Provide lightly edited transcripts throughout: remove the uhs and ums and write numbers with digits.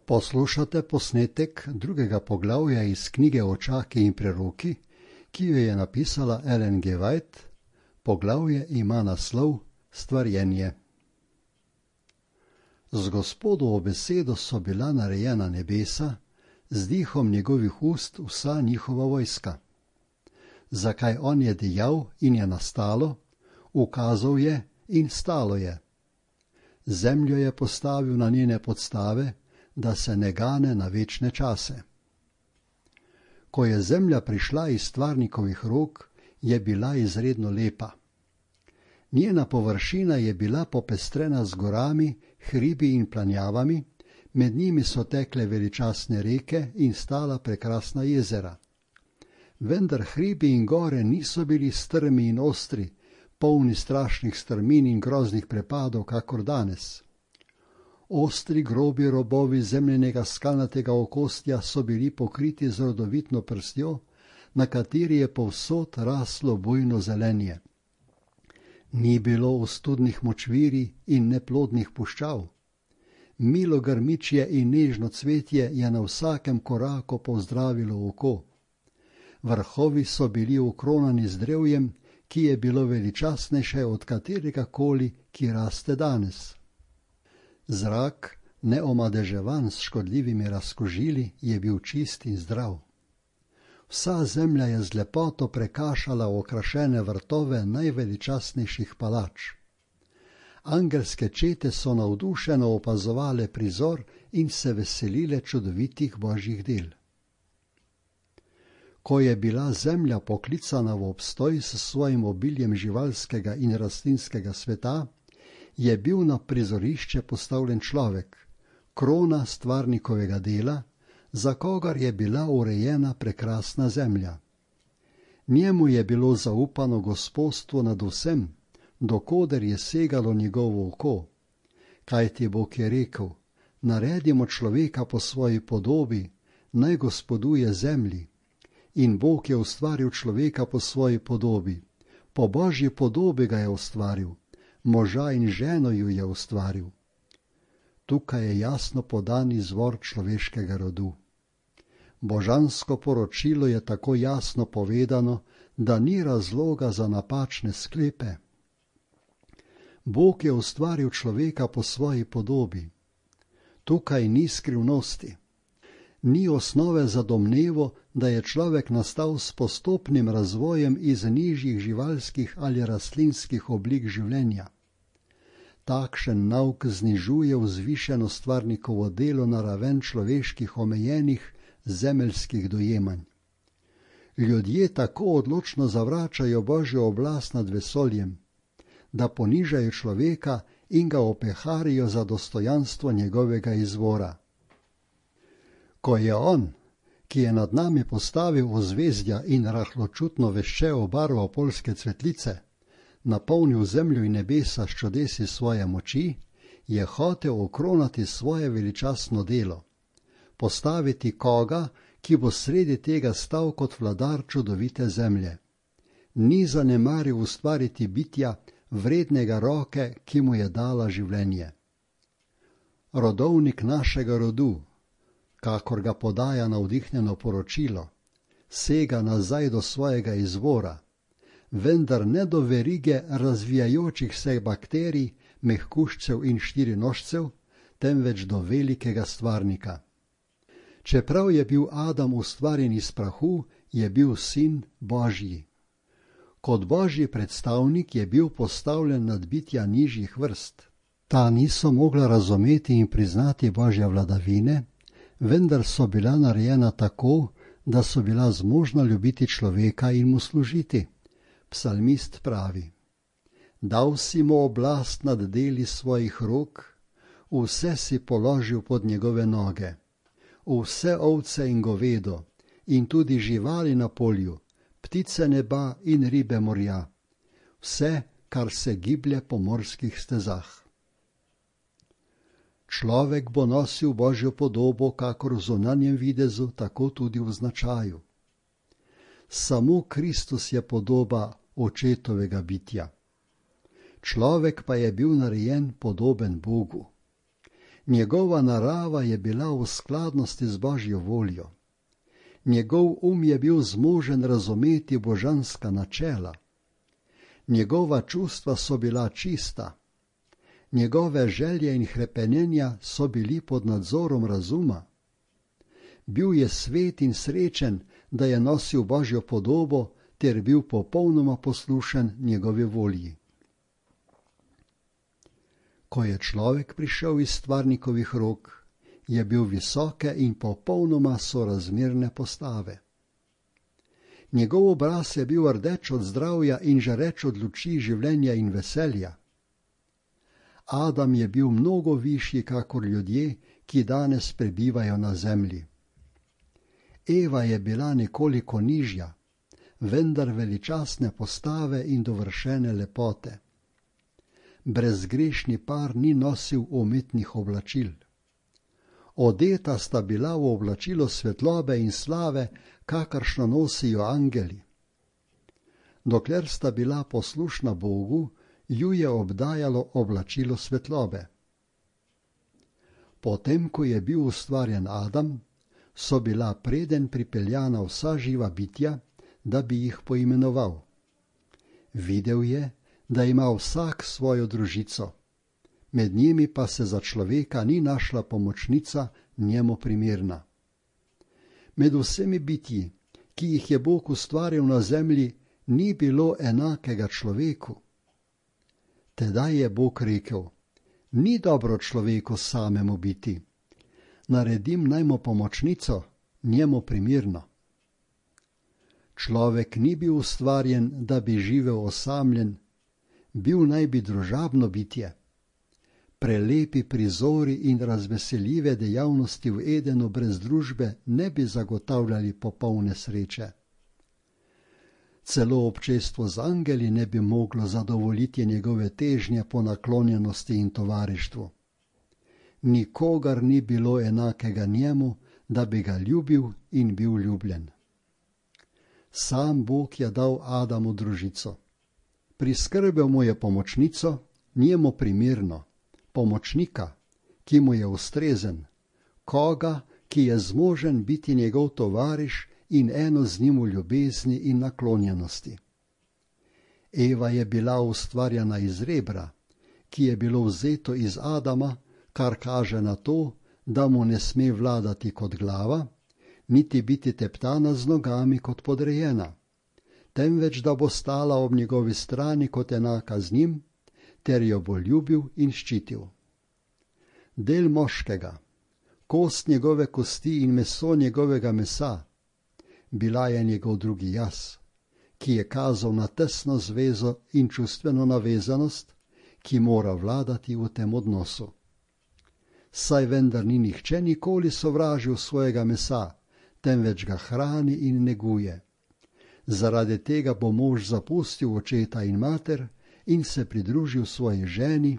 Poslušate posnetek drugega poglavja iz knjige Očaki in preroki, ki jo je napisala Ellen G. White. Poglavje ima naslov Stvarjenje. Z Gospodovo besedo so bila narejena nebesa, z dihom njegovih ust vsa njihova vojska. Zakaj on je dejal in je nastalo, ukazal je in stalo je. Zemljo je postavil na njene podstave, da se ne gane na večne čase. Ko je zemlja prišla iz stvarnikovih rok, je bila izredno lepa. Njena površina je bila popestrena z gorami, hribi in planjavami, med njimi so tekle veličastne reke in stala prekrasna jezera. Vendar hribi in gore niso bili strmi in ostri, polni strašnih strmin in groznih prepadov, kakor danes. Ostri grobi robovi zemljenega skalnatega okostja so bili pokriti z rodovitno prstjo, na kateri je povsod raslo bujno zelenje. Ni bilo ostudnih močvirij in neplodnih puščav. Milo grmičje in nežno cvetje je na vsakem koraku pozdravilo oko. Vrhovi so bili okronani z drevjem, ki je bilo veličastnejše od katerega koli, ki raste danes. Zrak, neomadeževan s škodljivimi razkužili, je bil čist in zdrav. Vsa zemlja je z lepoto prekašala okrašene vrtove najveličastnejših palač. Angelske čete so navdušeno opazovale prizor in se veselile čudovitih božjih del. Ko je bila zemlja poklicana v obstoj s svojim obiljem živalskega in rastlinskega sveta, je bil na prizorišče postavljen človek, krona stvarnikovega dela, za kogar je bila urejena prekrasna zemlja. Njemu je bilo zaupano gospodstvo nad vsem, dokoder je segalo njegovo oko. Kajti Bog je rekel, naredimo človeka po svoji podobi, naj gospoduje zemlji. In Bog je ustvaril človeka po svoji podobi, po božji podobi ga je ustvaril, moža in ženo ju je ustvaril. Tukaj je jasno podan izvor človeškega rodu. Božansko poročilo je tako jasno povedano, da ni razloga za napačne sklepe. Bog je ustvaril človeka po svoji podobi. Tukaj ni skrivnosti. Ni osnove za domnevo, da je človek nastal s postopnim razvojem iz nižjih živalskih ali rastlinskih oblik življenja. Takšen nauk znižuje vzvišeno stvarnikovo delo na raven človeških omejenih zemeljskih dojemanj. Ljudje tako odločno zavračajo Božjo oblast nad vesoljem, da ponižajo človeka in ga opeharijo za dostojanstvo njegovega izvora. Ko je on, ki je nad nami postavil ozvezdja in rahločutno veščevo barvo poljske cvetlice, napolnil zemljo in nebesa s čudesi svoje moči, je hotel okronati svoje veličastno delo, postaviti koga, ki bo sredi tega stal kot vladar čudovite zemlje. Ni zanemaril ustvariti bitja, vrednega roke, ki mu je dala življenje. Rodovnik našega rodu, kakor ga podaja navdihnjeno poročilo, sega nazaj do svojega izvora, vendar ne do verige razvijajočih se bakterij, mehkužcev in štirinožcev, temveč do velikega stvarnika. Čeprav je bil Adam ustvarjen iz prahu, je bil sin Božji. Kot Božji predstavnik je bil postavljen nad bitja nižjih vrst. Ta niso mogla razumeti in priznati Božje vladavine, vendar so bila narejena tako, da so bila zmožna ljubiti človeka in mu služiti. Psalmist pravi: Dal si mu oblast nad deli svojih rok, vse si položil pod njegove noge, vse ovce in govedo, in tudi živali na polju, ptice neba in ribe morja, vse, kar se giblje po morskih stezah. Človek bo nosil Božjo podobo, kakor v zunanjem videzu, tako tudi v značaju. Samo Kristus je podoba očetovega bitja. Človek pa je bil narejen podoben Bogu. Njegova narava je bila v skladnosti z Božjo voljo. Njegov je bil zmožen razumeti božanska načela. Njegova čustva so bila čista. Njegove želje in hrepenenja so bili pod nadzorom razuma. Bil je svet in srečen, da je nosil Božjo podobo ter bil popolnoma poslušen njegovi volji. Ko je človek prišel iz stvarnikovih rok, je bil visoke in popolnoma sorazmerne postave. Njegov obraz je bil rdeč od zdravja in žareč od luči življenja in veselja. Adam je bil mnogo višji kakor ljudje, ki danes prebivajo na zemlji. Eva je bila nekoliko nižja, vendar veličastne postave in dovršene lepote. Brezgrešni par ni nosil umetnih oblačil. Odeta sta bila v oblačilo svetlobe in slave, kakršno nosijo angeli. Dokler sta bila poslušna Bogu, ju je obdajalo oblačilo svetlobe. Potem, ko je bil ustvarjen Adam, so bila preden pripeljana vsa živa bitja, da bi jih poimenoval. Videl je, da ima vsak svojo družico, med njimi pa se za človeka ni našla pomočnica njemu primerna. Med vsemi bitji, ki jih je Bog ustvaril na zemlji, ni bilo enakega človeku. Tedaj je Bog rekel: ni dobro človeku samemu biti, naredim naj mu pomočnico, njemu primerno. Človek ni bil ustvarjen, da bi živel osamljen, bil naj bi družabno bitje. Prelepi prizori in razveseljive dejavnosti v Edenu brez družbe ne bi zagotavljali popolne sreče. Celo občestvo z angeli ne bi moglo zadovoljiti njegove težnje po naklonjenosti in tovarištvu. Nikogar ni bilo enakega njemu, da bi ga ljubil in bil ljubljen. Sam Bog je dal Adamu družico. Priskrbel mu je pomočnico, njemu primerno, pomočnika, ki mu je ustrezen, koga, ki je zmožen biti njegov tovariš in eno z njim v ljubezni in naklonjenosti. Eva je bila ustvarjena iz rebra, ki je bilo vzeto iz Adama, kar kaže na to, da mu ne sme vladati kot glava, niti biti teptana z nogami kot podrejena, temveč da bo stala ob njegovi strani kot enaka z njim, ter jo bo ljubil in ščitil. Del moškega, kost njegove kosti in meso njegovega mesa, bila je njegov drugi jaz, ki je kazal na tesno zvezo in čustveno navezanost, ki mora vladati v tem odnosu. Saj vendar ni nihče nikoli sovražil svojega mesa, temveč ga hrani in neguje. Zaradi tega bo mož zapustil očeta in mater in se pridružil svoji ženi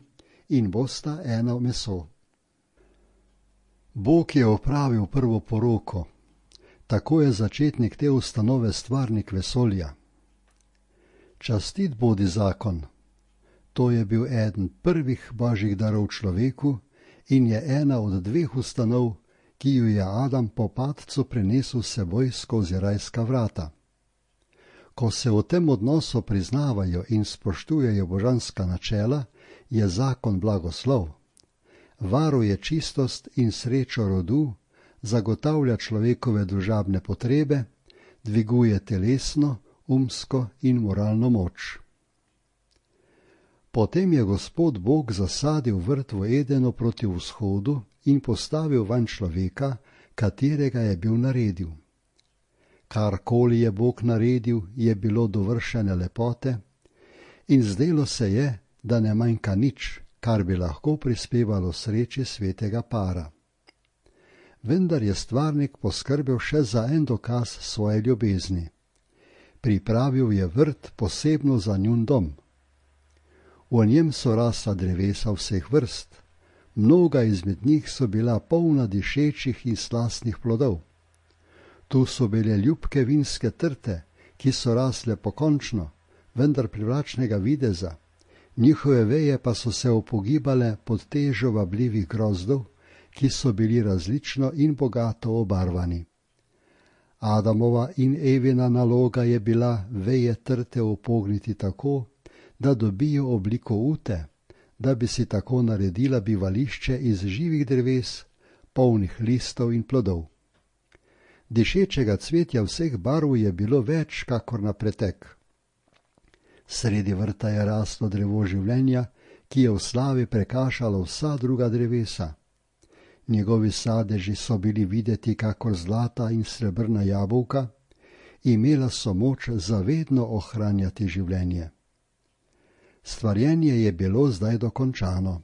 in bosta eno meso. Bog je opravil prvo poroko. Tako je začetnik te ustanove stvarnik vesolja. Častit bodi zakon. To je bil eden prvih božjih darov človeku in je ena od dveh ustanov, ki ju je Adam po padcu prinesel s seboj skozi rajska vrata. Ko se v tem odnosu priznavajo in spoštujejo božanska načela, je zakon blagoslov. Varuje čistost in srečo rodu, zagotavlja človekove družabne potrebe, dviguje telesno, umsko in moralno moč. Potem je Gospod Bog zasadil vrt v Edenu proti vzhodu in postavil vanj človeka, katerega je bil naredil. Karkoli je Bog naredil, je bilo dovršene lepote in zdelo se je, da ne manjka nič, kar bi lahko prispevalo sreči svetega para. Vendar je stvarnik poskrbel še za en dokaz svoje ljubezni. Pripravil je vrt posebno za njun dom. V njem so rasla drevesa vseh vrst, mnoga izmed njih so bila polna dišečih in slastnih plodov. Tu so bile ljubke vinske trte, ki so rasle pokončno, vendar privlačnega videza, njihove veje pa so se upogibale pod težo vabljivih grozdov, ki so bili različno in bogato obarvani. Adamova in Evina naloga je bila veje trte upogniti tako, da dobijo obliko ute, da bi si tako naredila bivališče iz živih dreves, polnih listov in plodov. Dišečega cvetja vseh barv je bilo več kakor na pretek. Sredi vrta je raslo drevo življenja, ki je v slavi prekašalo vsa druga drevesa. Njegovi sadeži so bili videti kakor zlata in srebrna jabolka, imela so moč zavedno ohranjati življenje. Stvarjenje je bilo zdaj dokončano.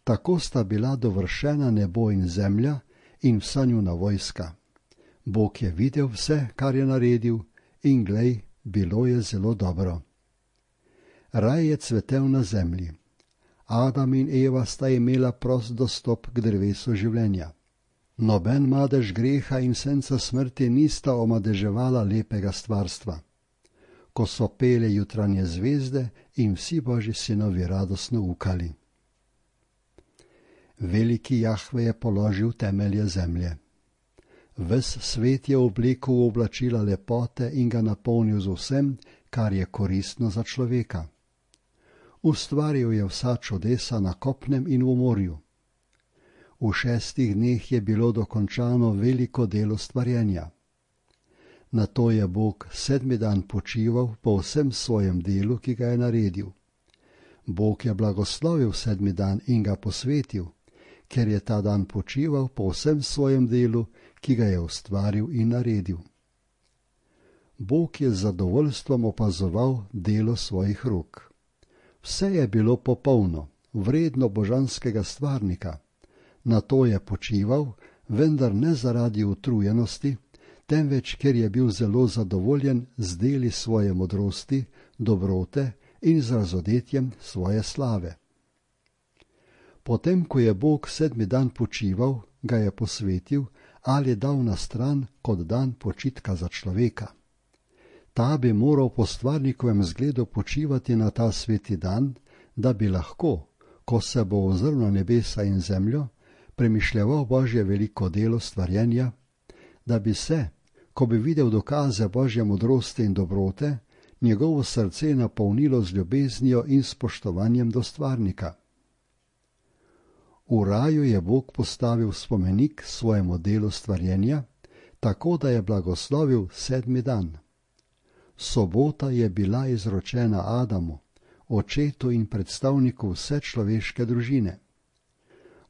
Tako sta bila dovršena nebo in zemlja in vsa njuna vojska. Bog je videl vse, kar je naredil, in glej, bilo je zelo dobro. Raj je cvetel na zemlji. Adam in Eva sta imela prost dostop k drevesu življenja. Noben madež greha in senca smrti nista omadeževala lepega stvarstva. Ko so pele jutranje zvezde in vsi Božji sinovi radostno ukali. Veliki Jahve je položil temelje zemlje. Ves svet je oblekel v oblačila lepote in ga napolnil z vsem, kar je koristno za človeka. Ustvaril je vsa čudesa na kopnem in v morju. V 6 dneh je bilo dokončano veliko delo stvarjenja. Nato je Bog 7. dan počival po vsem svojem delu, ki ga je naredil. Bog je blagoslovil 7. dan in ga posvetil, ker je ta dan počival po vsem svojem delu, ki ga je ustvaril in naredil. Bog je z zadovoljstvom opazoval delo svojih rok. Vse je bilo popolno, vredno božanskega stvarnika. Nato je počival, vendar ne zaradi utrujenosti, temveč ker je bil zelo zadovoljen z deli svoje modrosti, dobrote in z razodetjem svoje slave. Potem, ko je Bog 7. dan počival, ga je posvetil ali dal na stran kot dan počitka za človeka. Ta bi moral po stvarnikovem zgledu počivati na ta sveti dan, da bi lahko, ko se bo ozrl na nebesa in zemljo, premišljeval Božje veliko delo stvarjenja, da bi se, ko bi videl dokaze Božje modrosti in dobrote, njegovo srce napolnilo z ljubeznijo in spoštovanjem do stvarnika. V raju je Bog postavil spomenik svojemu delu stvarjenja, tako da je blagoslovil 7. dan. Sobota je bila izročena Adamu, očetu in predstavniku vse človeške družine.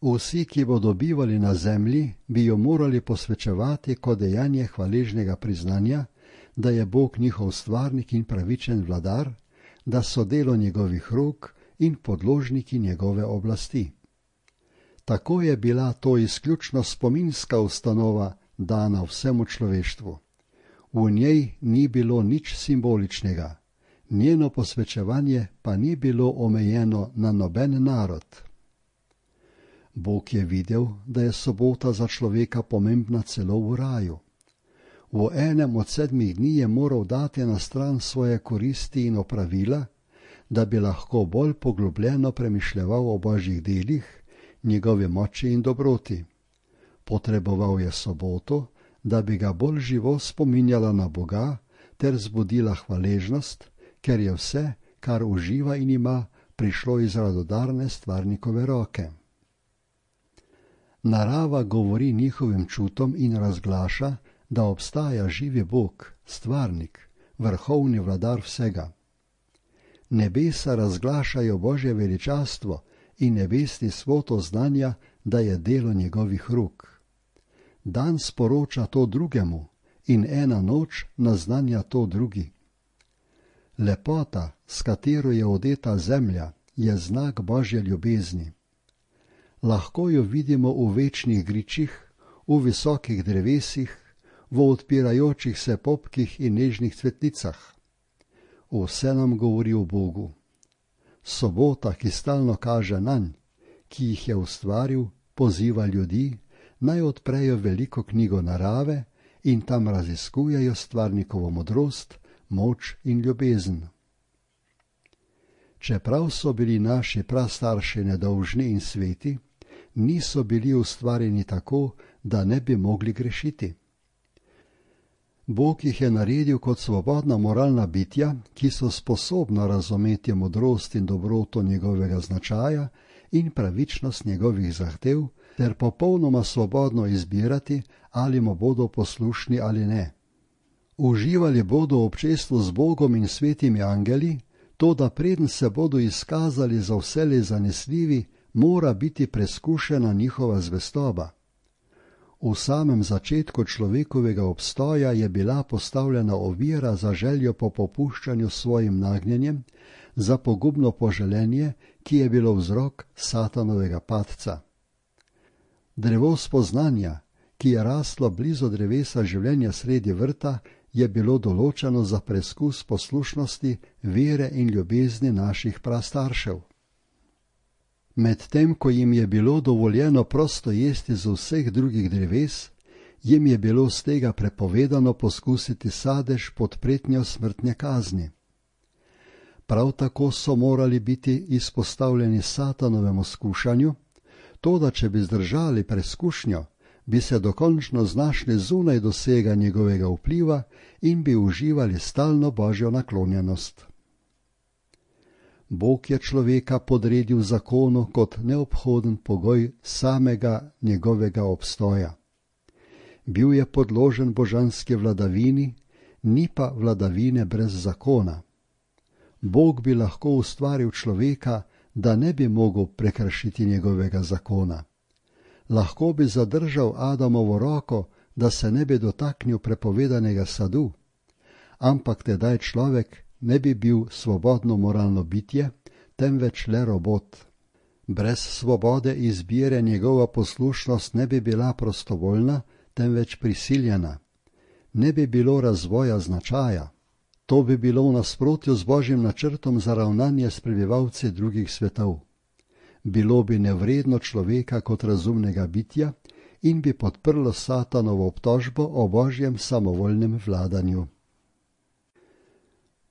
Vsi, ki bodo bivali na zemlji, bi jo morali posvečevati kot dejanje hvaležnega priznanja, da je Bog njihov stvarnik in pravičen vladar, da so delo njegovih rok in podložniki njegove oblasti. Tako je bila to izključno spominska ustanova dana vsemu človeštvu. V njej ni bilo nič simboličnega, njeno posvečevanje pa ni bilo omejeno na noben narod. Bog je videl, da je sobota za človeka pomembna celo v raju. V enem od 7 dni je moral dati na stran svoje koristi in opravila, da bi lahko bolj poglobljeno premišljeval o Božjih delih, njegovi moči in dobroti. Potreboval je soboto, da bi ga bolj živo spominjala na Boga ter zbudila hvaležnost, ker je vse, kar uživa in ima, prišlo iz radodarne stvarnikove roke. Narava govori njihovim čutom in razglaša, da obstaja živi Bog, stvarnik, vrhovni vladar vsega. Nebesa razglašajo Božje veličastvo in nebesni svod oznanja, da je delo njegovih rok. Dan sporoča to drugemu in ena noč naznanja to drugi. Lepota, s katero je odeta zemlja, je znak Božje ljubezni. Lahko jo vidimo v večnih gričih, v visokih drevesih, v odpirajočih se popkih in nežnih cvetlicah. Vse nam govori o Bogu. Sobota, ki stalno kaže nanj, ki jih je ustvaril, poziva ljudi, naj odprejo veliko knjigo narave in tam raziskujejo stvarnikovo modrost, moč in ljubezen. Čeprav so bili naši prastarši nedolžni in sveti, niso bili ustvarjeni tako, da ne bi mogli grešiti. Bog jih je naredil kot svobodna moralna bitja, ki so sposobna razumeti modrost in dobroto njegovega značaja in pravičnost njegovih zahtev, ter popolnoma svobodno izbirati, ali mu bodo poslušni ali ne. Uživali bodo v občestvu z Bogom in svetimi angeli, toda preden se bodo izkazali za vselej zanesljivi, mora biti preskušena njihova zvestoba. V samem začetku človekovega obstoja je bila postavljena ovira za željo po popuščanju svojim nagnjenjem, za pogubno poželenje, ki je bilo vzrok Satanovega padca. Drevo spoznanja, ki je raslo blizu drevesa življenja sredi vrta, je bilo določeno za preskus poslušnosti, vere in ljubezni naših prastaršev. Medtem ko jim je bilo dovoljeno prosto jesti z vseh drugih dreves, jim je bilo z tega prepovedano poskusiti sadež pod pretnjo smrtne kazni. Prav tako so morali biti izpostavljeni Satanovemu skušanju, toda če bi zdržali preskušnjo, bi se dokončno znašli zunaj dosega njegovega vpliva in bi uživali stalno Božjo naklonjenost. Bog je človeka podredil zakonu kot neobhoden pogoj samega njegovega obstoja. Bil je podložen božanski vladavini, ni pa vladavine brez zakona. Bog bi lahko ustvaril človeka, da ne bi mogel prekršiti njegovega zakona. Lahko bi zadržal Adamovo roko, da se ne bi dotaknil prepovedanega sadu, ampak tedaj človek ne bi bil svobodno moralno bitje, temveč le robot. Brez svobode izbire njegova poslušnost ne bi bila prostovoljna, temveč prisiljena. Ne bi bilo razvoja značaja. To bi bilo v nasprotju z Božjim načrtom za ravnanje s prebivalci drugih svetov. Bilo bi nevredno človeka kot razumnega bitja in bi podprlo Satanovo obtožbo o Božjem samovoljnem vladanju.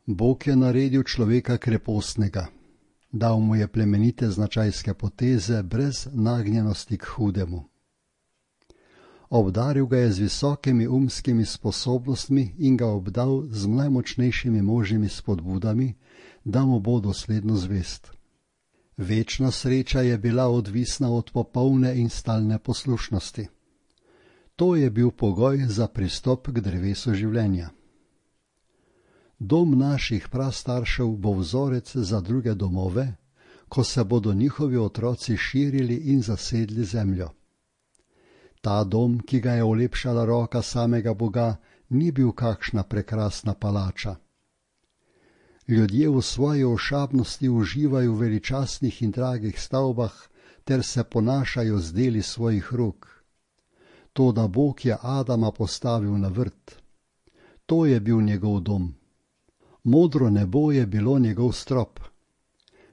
Bog je naredil človeka krepostnega, dal mu je plemenite značajske poteze brez nagnjenosti k hudemu. Obdaril ga je z visokimi umskimi sposobnostmi in ga obdal z najmočnejšimi možnimi spodbudami, da mu bo dosledno zvest. Večna sreča je bila odvisna od popolne in stalne poslušnosti. To je bil pogoj za pristop k drevesu življenja. Dom naših prastaršev bo vzorec za druge domove, ko se bodo njihovi otroci širili in zasedli zemljo. Ta dom, ki ga je olepšala roka samega Boga, ni bil kakšna prekrasna palača. Ljudje v svoji ošabnosti uživajo v veličastnih in dragih stavbah ter se ponašajo z deli svojih rok. Toda Bog je Adama postavil na vrt. To je bil njegov dom. Modro nebo je bilo njegov strop.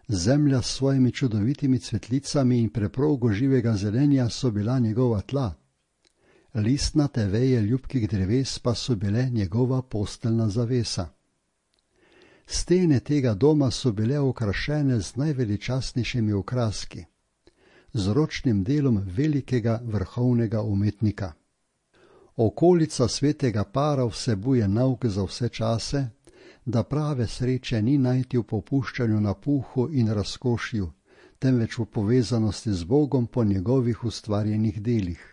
Zemlja s svojimi čudovitimi cvetlicami in preprogo živega zelenja so bila njegova tla. Listnate veje ljubkih dreves pa so bile njegova posteljna zavesa. Stene tega doma so bile okrašene z najveličastnejšimi okraski, z ročnim delom velikega vrhovnega umetnika. Okolica svetega para vsebuje nauk za vse čase, da prave sreče ni najti v popuščanju na puhu in razkošju, temveč v povezanosti z Bogom po njegovih ustvarjenih delih.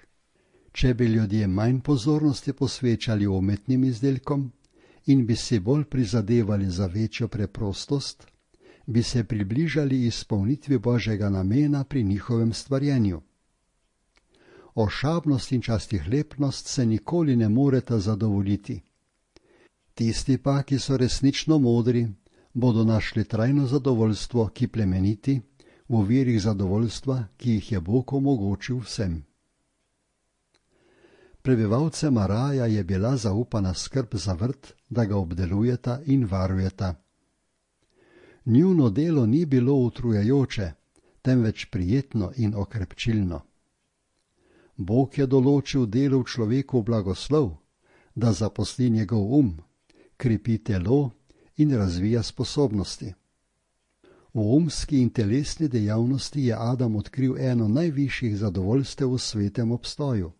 Če bi ljudje manj pozornosti posvečali umetnim izdelkom in bi si bolj prizadevali za večjo preprostost, bi se približali izpolnitvi Božjega namena pri njihovem stvarjenju. Ošabnost in častihlepnost se nikoli ne moreta zadovoljiti. Tisti pa, ki so resnično modri, bodo našli trajno zadovoljstvo, ki plemeniti, v virih zadovoljstva, ki jih je Bog omogočil vsem. Prebivalcem raja je bila zaupana skrb za vrt, da ga obdelujeta in varujeta. Njuno delo ni bilo utrujajoče, temveč prijetno in okrepčilno. Bog je določil delu v človeku blagoslov, da zaposli njegov krepi telo in razvija sposobnosti. V umski in telesni dejavnosti je Adam odkril eno najvišjih zadovoljstev v svetem obstoju.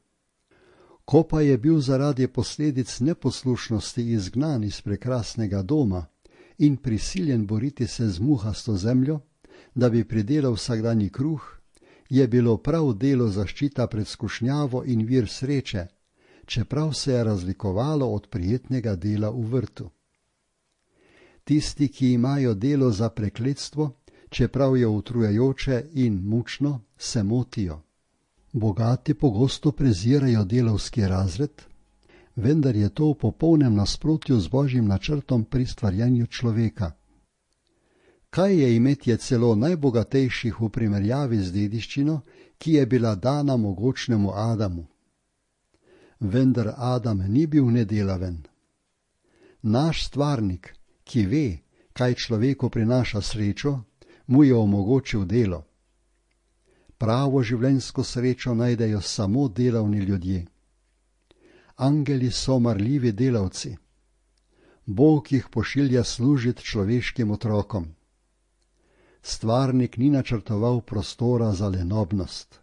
Ko pa je bil zaradi posledic neposlušnosti izgnan iz prekrasnega doma in prisiljen boriti se z muhasto zemljo, da bi pridelal vsakdanji kruh, je bilo prav delo zaščita pred skušnjavo in vir sreče, čeprav se je razlikovalo od prijetnega dela v vrtu. Tisti, ki imajo delo za prekletstvo, čeprav je utrujajoče in mučno, se motijo. Bogati pogosto prezirajo delavski razred, vendar je to v popolnem nasprotju z Božjim načrtom pri stvarjanju človeka. Kaj je imetje celo najbogatejših v primerjavi z dediščino, ki je bila dana mogočnemu Adamu? Vendar Adam ni bil nedelaven. Naš stvarnik, ki ve, kaj človeku prinaša srečo, mu je omogočil delo. Pravo življenjsko srečo najdejo samo delavni ljudje. Angeli so marljivi delavci. Bog jih pošilja služiti človeškim otrokom. Stvarnik ni načrtoval prostora za lenobnost.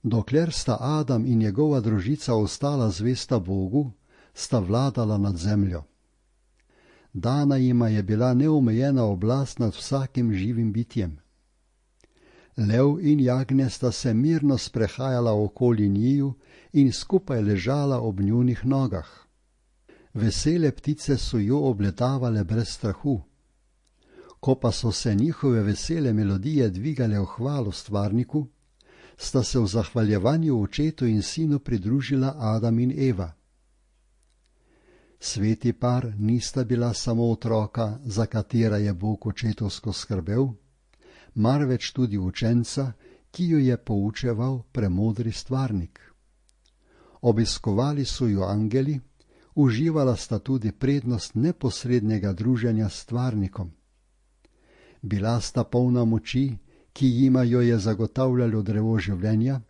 Dokler sta Adam in njegova družica ostala zvesta Bogu, sta vladala nad zemljo. Dana jima je bila neomejena oblast nad vsakim živim bitjem. Lev in jagnje sta se mirno sprehajala okoli njiju in skupaj ležala ob njunih nogah. Vesele ptice so jo obletavale brez strahu. Ko pa so se njihove vesele melodije dvigale v hvalo stvarniku, sta se v zahvaljevanju očetu in sinu pridružila Adam in Eva. Sveti par nista bila samo otroka, za katera je Bog očetovsko skrbel, marveč tudi učenca, ki jo je poučeval premodri stvarnik. Obiskovali so jo angeli, uživala sta tudi prednost neposrednega druženja s stvarnikom. Bila sta polna moči, ki jima jo je zagotavljalo drevo življenja,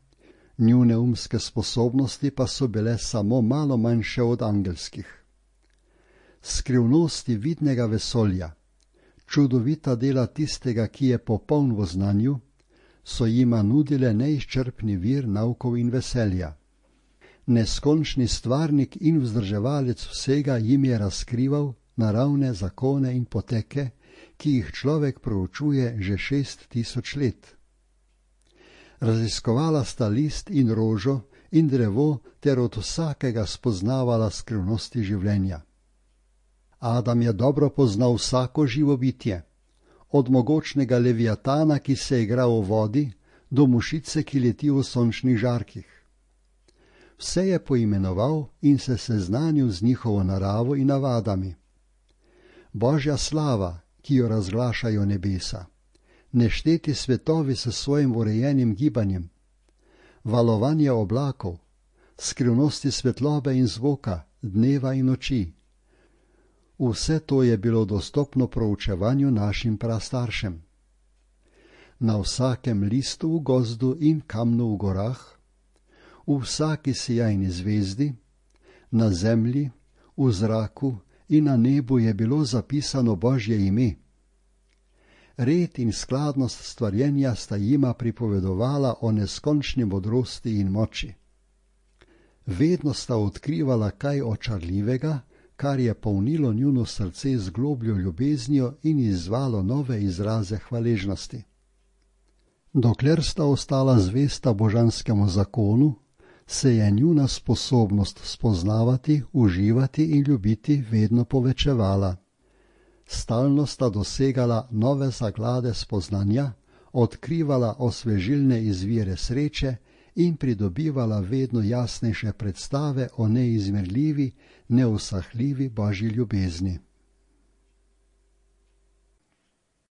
njune umske sposobnosti pa so bile samo malo manjše od angelskih. Skrivnosti vidnega vesolja, čudovita dela tistega, ki je popoln v znanju, so jima nudile neizčrpni vir naukov in veselja. Neskončni stvarnik in vzdrževalec vsega jim je razkrival naravne zakone in poteke, ki jih človek proučuje že 6000 let. Raziskovala sta list in rožo in drevo ter od vsakega spoznavala skrivnosti življenja. Adam je dobro poznal vsako živo bitje, od mogočnega leviatana, ki se igra v vodi, do mušice, ki leti v sončnih žarkih. Vse je poimenoval in se seznanil z njihovo naravo in navadami. Božja slava, ki jo razglašajo nebesa, nešteti svetovi s svojim urejenim gibanjem, valovanje oblakov, skrivnosti svetlobe in zvoka, dneva in noči. Vse to je bilo dostopno proučevanju našim prastaršem. Na vsakem listu v gozdu in kamnu v gorah, v vsaki sijajni zvezdi, na zemlji, v zraku in na nebu je bilo zapisano Božje ime. Red in skladnost stvarjenja sta jima pripovedovala o neskončni modrosti in moči. Vedno sta odkrivala kaj očarljivega, kar je polnilo njuno srce z globljo ljubeznijo in izzvalo nove izraze hvaležnosti. Dokler sta ostala zvesta božanskemu zakonu, se je njuna sposobnost spoznavati, uživati in ljubiti vedno povečevala. Stalno sta dosegala nove zaklade spoznanja, odkrivala osvežilne izvire sreče in pridobivala vedno jasnejše predstave o neizmerljivi, neusahljivi Božji ljubezni.